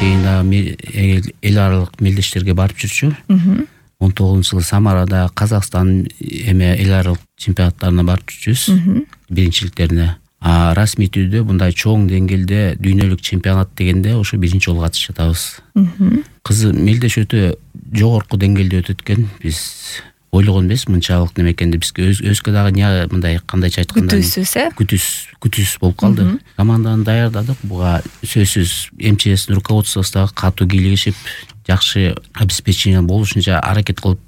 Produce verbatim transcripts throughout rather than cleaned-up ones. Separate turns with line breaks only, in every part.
чейин дагы эл аралык мелдештерге барып жүрчү. он тогузунчу жылы Самарада Казакстан эме эл аралык чемпионаттарына барып жүрчүбүз, биринчиликтерине. А расмий түрдө мындай чоң деңгээлде дүйнөлүк чемпионат дегенде ошо биринчи жолу катышып жатабыз. Кызы мелдеш өтө жогорку деңгээлде өтөт экен. Биз ойлогон эмес мынчалык неме экенди. Бизге өзгө дагы мындай кандайча айтканда
күтүүсүз э
күтүүс күтүүсүз болуп калды. Команданы даярдадык. Буга сөзсүз МЧСтин руководствосу дагы катуу кийлигишип, жакшы обеспечение болушунча аракет кылып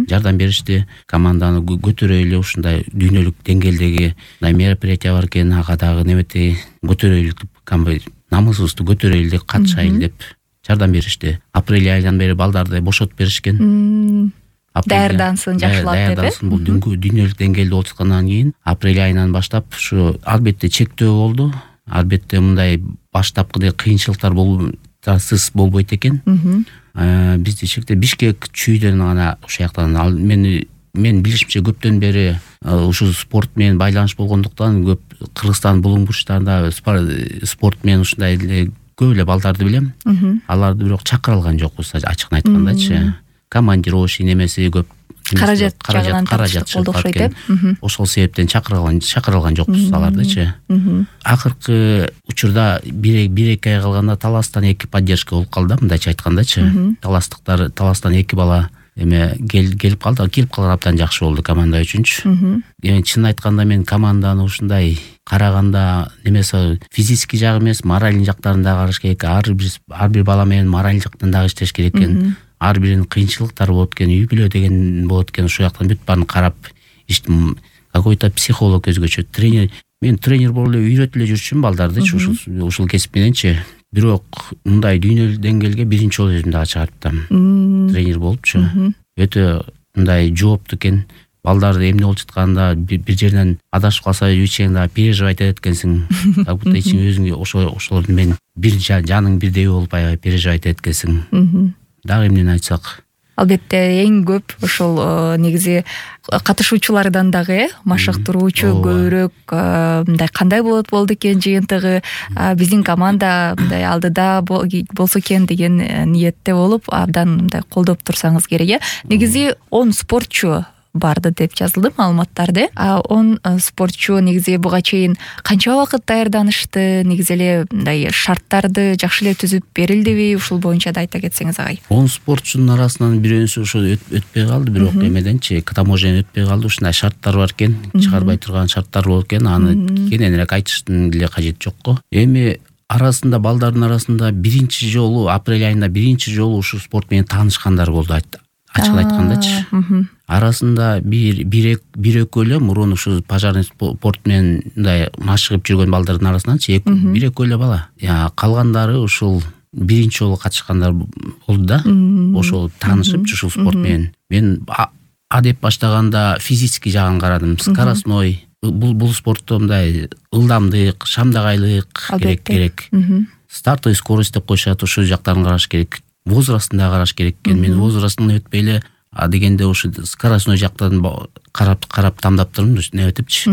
жардам беришти. Команданы көтөрөйлү, ушундай дүйнөлүк деңгээлдеги мындай мероприятие бар экен, ага дагы немети көтөрөйлү, намысыбызды көтөрөйлү деп катышайлы деп жардам беришти. Апрель айынан бери балдарды бошотуп беришкен.
Даярдансын, жакшылап деп.
Даярдансын, бул дүйнөлүк деңгээлде болуп аткандан кийин апрель айынан баштап ушу албетте чектөө болду. Албетте мындай баштапкы кыйынчылыктар болуп сыз болбойт экен. Бизди чектеп Бишкек чүйдөн гана ошол жактан мен мен билишимче көптөн бери ушул спорт менен байланыш болгондуктан көп Кыргызстан булуң бурчтарында спорт менен ушундай көп эле балдарды билем. Аларды бирок чакыра алган жокпуз, ачыгын айткандачы. Командировочный немеси көп,
каражат жагынан каражат болду окшойт деп.
Ошол себептен чакырылган чакырылган жокпуз алардычы. Акыркы учурда бир бир эки ай калганда Таластан эки поддержка болуп калды, мындайча айткандачы. Таластыктар Таластан эки бала эме келип калды. Келип калган абдан жакшы болду команда үчүнчү. Эми чын айтканда мен команданы ушундай караганда немеси физический жагы эмес, моральный жактарын да караш керек. Ар бир ар бир бала менен мораль жактан дагы иштеш керек экен. Ар биринин кыйынчылыктары болот экен, үй бүлө деген болот экен. Ошол жактан бүт баарын карап, иштим какой-то психолог өзгөчө, тренер. Мен тренер болуп эле үйрөтүп эле жүрчүмүн балдарды ушул ушул кесип мененчи. Бирок мындай дүйнөлүк деңгээлге биринчи жолу өзүм дагы чыгарттым. Тренер болупчу. Өтө мындай жооптуу экен. Балдарды эмне болуп жатканда бир жерден адашып калса үчең дагы переживать этет экенсиң. Как будто ичиң өзүңгө ошо ошолорду мен бир жаның бирдей болуп аябай переживать этет экенсиң. Дагы эмнени айтсак,
албетте эң көп ошол негизи катышуучулардан дагы машыктыруучу көбүрөөк мындай кандай болот болду экен жыйынтыгы, биздин команда мындай алдыда болсо экен деген ниетте болуп, абдан мындай колдоп турсаңыз керек э. Негизи он спортчу барды деп жазылды маалыматтарда. А он спортчу негизи буга чейин канча убакыт даярданышты, негизи эле мындай шарттарды жакшы эле түзүп берилдиби? Ушул боюнча да айта кетсеңиз агай.
он спортчунун арасынан бирөөсү ошо өтпөй калды, бирок эмеденчи таможнядан өтпөй калды. Ушундай шарттар бар экен, чыгарбай турган шарттар болот экен. Аны кененирээк айтыштын деле кажети жок го. Эми арасында балдардын арасында биринчи жолу апрель айында биринчи жолу ушул спорт менен таанышкандар болду, ачык айткандачы. Арасында бир бир бир экөө эле мурун ушу пожарный спорт менен мындай машыгып жүргөн балдардын арасынанчы бир экөө эле бала. Калгандары ушул биринчи жолу катышкандар болду да. Ошол таанышып ушул спорт менен. Мен адеп баштаганда физический жагын карадым. Скоростной. Бул бул спортто мындай ылдамдык, шамдагайлык керек керек. Стартовый скорость деп коюшат, ушул жактарын караш керек. Возрастын да караш керек экен. Мен возрастын өтпөй эле а дегенде ушу скоростной жактан карап карап тамдап турдум, неметипчи.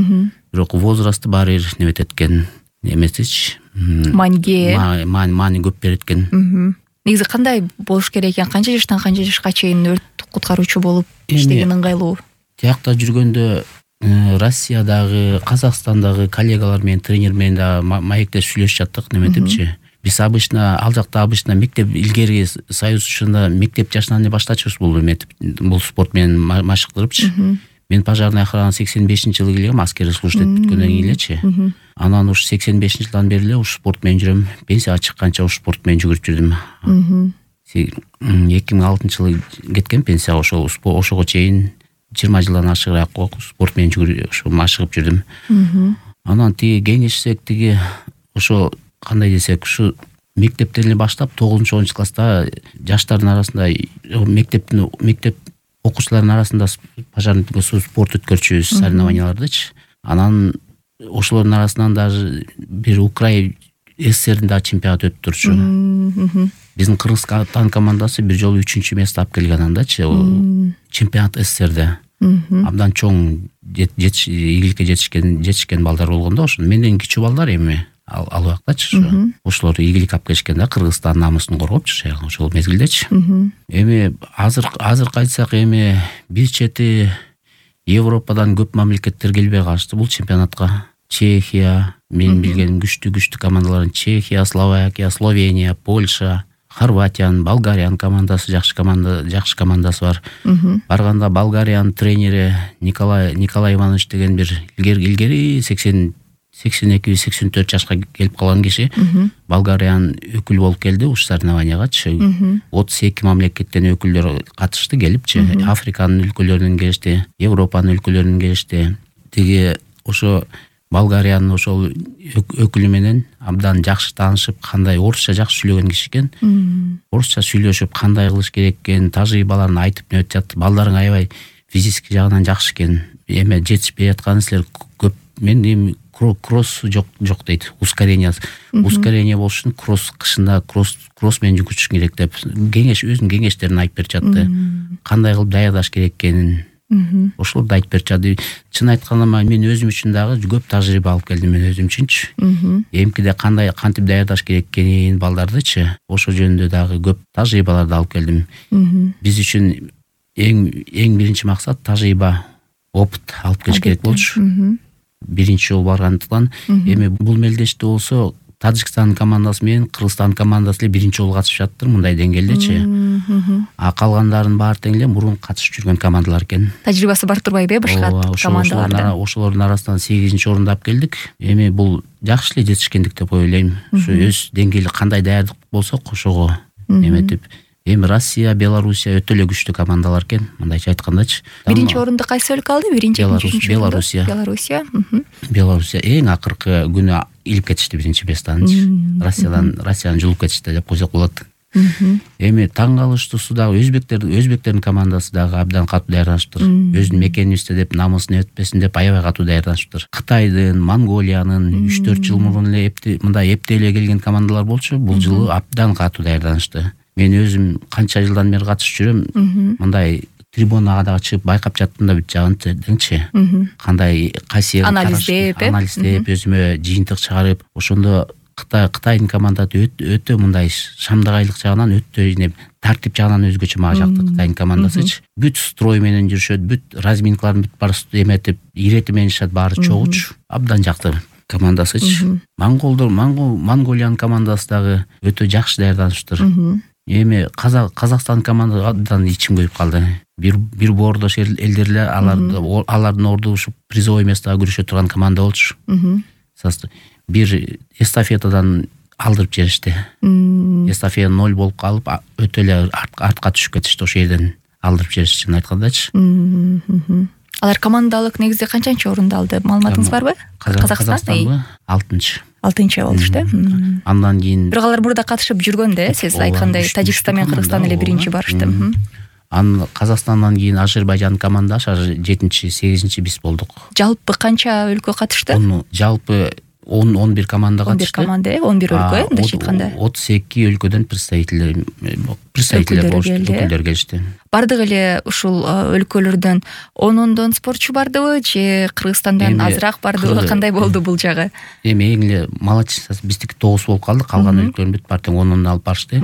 Бирок возрастты баары бир неметет экен. Эмесичи.
Манге.
Мани көп берет экен.
Негизи кандай болуш керек экен? Канча жаштан канча жашка чейин өрт куткаруучу болуп иштеген ыңгайлуу?
Тиякта жүргөндө Россиядагы, Казакстандагы коллегалар менен, тренер менен да маектешип сүйлөшүп жаттык, неметипчи. Биз обычно ал жакта обычно мектеп илгери союз ушунда мектеп жашынан эле баштачубуз бул эметип, бул спорт менен машыктырыпчы. Мен пожарный охрана сексен бешинчи жылы келгем, аскерди службада бүткөндөн кийин элечи. Анан ушу сексен бешинчи жылдан бери эле ушу спорт менен жүрөм. Пенсияга чыкканча ушу спорт менен жүгүрүп жүрдүм. эки миң алтынчы жылы кеткен пенсияга, ошол ошого чейин жыйырма жылдан ашыгыраак спорт менен жүгүрүп, ошо машыгып жүрдүм. Анан тиги кеңешсек, тиги ошо кандай десек, ушу мектептен эле баштап тогузунчу онунчу класста жаштардын арасында мектептин мектеп окуучулардын арасында пожарный спорт өткөрчүбүз, соревнованиялардычы. Анан ошолордун арасынан даже бир Украин СССРдин да чемпионаты өтүп турчу. Биздин Кыргызстан командасы бир жолу үчүнчү место алып келген андачы, чемпионат СССРде. Абдан чоң игиликке жетишкен жетишкен балдар болгондо, ошо менден кичүү балдар эми. ал убактачы ошолор ийгилик алып келишкен да, Кыргызстандын намусун коргопчу ошол мезгилдечи. Эми азыр азыр айтсак, эми бир чети Европадан көп мамлекеттер келбей калышты бул чемпионатка. Чехия, мен билген күчтүү күчтүү командалардын Чехия, Словакия, Словения, Польша, Хорватиянын, Болгариянын командасы жакшы команда, жакшы командасы бар. Барганда Болгариянын тренери Николай Николай Иванович деген бир илгери илгери сексен сексен эки сексен төрт жашка келип калган киши Болгариянын өкүлү болуп келди уш соревнованиягачы. отуз эки мамлекеттен өкүлдөр катышты келипчи. Африканын өлкөлөрүнөн келишти, Европанын өлкөлөрүнөн келишти. Тиги ошо Болгариянын ошол өкүлү менен абдан жакшы таанышып, кандай орусча жакшы сүйлөгөн киши экен. Орусча сүйлөшүп, кандай кылыш керек экен, тажрыйбаларын айтып нөт жатты. Балдарың аябай физический жагынан жакшы экен. Эме жетишпей атканы силер көп. Мен эми кросс жок жок дейт. Ускорение. Ускорение болуш үчүн кросс кышында кросс кросс менен жүгүрүш керек деп кеңеш өзүнүн кеңештерин айтып берип жатты. Кандай кылып даярдаш керек экенин ошолорду айтып берип жатты. Чын айтканда мен өзүм үчүн дагы көп тажрыйба алып келдим, мен өзүм үчүнчү. Эмкиде кандай кантип даярдаш керек экенин балдардычы, ошол жөнүндө дагы көп тажрыйбаларды алып келдим. Биз үчүн эң эң биринчи максат тажрыйба, опыт алып келиш керек болчу. Биринчи жолу баргандыктан эми бул мелдеште болсо Тажикстандын командасы менен Кыргызстандын командасы эле биринчи жолу катышып жатыр мындай деңгээлдечи. А калгандарынын баары тең эле мурун катышып жүргөн командалар экен.
Тажрыйбасы бар турбайбы башка командаларда?
Ошолордун арасынан сегизинчи орунду алып келдик. Эми бул жакшы эле жетишкендик деп ойлойм. Ушу өз деңгээли кандай даярдык болсо ошого эметип. Эми Россия, Белоруссия өтө эле күчтүү командалар экен, мындайча айткандачы.
Биринчи орунду кайсы өлкө алды? Биринчи, экинчи,
Белоруссия.
Белоруссия.
Белоруссия эң акыркы күнү илип кетишти биринчи местанчы. Россиядан Россияны жулуп кетишти деп койсок болот. Эми таң калыштуусу дагы өзбектер өзбектердин командасы дагы абдан катуу даярданышыптыр. Өзүнүн мекенибизде деп намысын өтпөсүн деп аябай катуу даярданышыптыр. Кытайдын, Монголиянын үч төрт жыл мурун эле мындай эптей эле келген командалар болчу. Бул жылы абдан катуу даярданышты. Мен өзүм канча жылдан бери катышып жүрөм. Мындай трибунага дагы чыгып байкап жаттым да бүт жагын деңчи. Кандай кайсы
анализдеп,
анализдеп, өзүмө жыйынтык чыгарып, ошондо Кытай Кытайдын командасы өтө мындай шамдагайлык жагынан өтө тартип жагынан өзгөчө мага жакты Кытайдын командасычы. Бүт строй менен жүрүшөт, бүт разминкаларын бүт баары эметип, ирети менен ишет, баары чогуч. Абдан жакты командасычы. Монголдор, Монгол Монголиянын командасы дагы өтө жакшы даярданышыптыр. Эми Казакстан командасы абдан ичим көйүп калды. Бир бир боордош элдер эле аларды алардын ордушуп призовой местого күрөшө турган команда болчу. Бир эстафетадан алдырып жиберишти. Эстафета ноль болуп калып, өтө эле артка түшүп кетишти, ошол жерден алдырып жиберишти, чын айткандачы.
Алар командалык негизде канчанчы орунду алды? Маалыматыңыз барбы?
Казакстан алтынчы.
алтынчы болушту.
Андан кийин
бирок алар мурда катышып жүргөн да, сиз айткандай Тажикстан менен Кыргызстан эле биринчи барышты.
Анан Казакстандан кийин Азербайжан командасы жетинчи, сегизинчи биз болдук.
Жалпы канча өлкө катышты?
Жалпы он он бир команда катышты.
он бир команда, он бир өлкө, мындайча айтканда.
отуз эки өлкөдөн представителдер представителдер өкүлдөр келишти.
Бардык эле ушул өлкөлөрдөн онондон спортчу бардыбы же Кыргызстандан азыраак бардыбы? Кандай болду бул жагы?
Эми эң эле молодец, биздики тогуз болуп калды, калган өлкөлөрдүн бүт баары тең онондон алып барышты.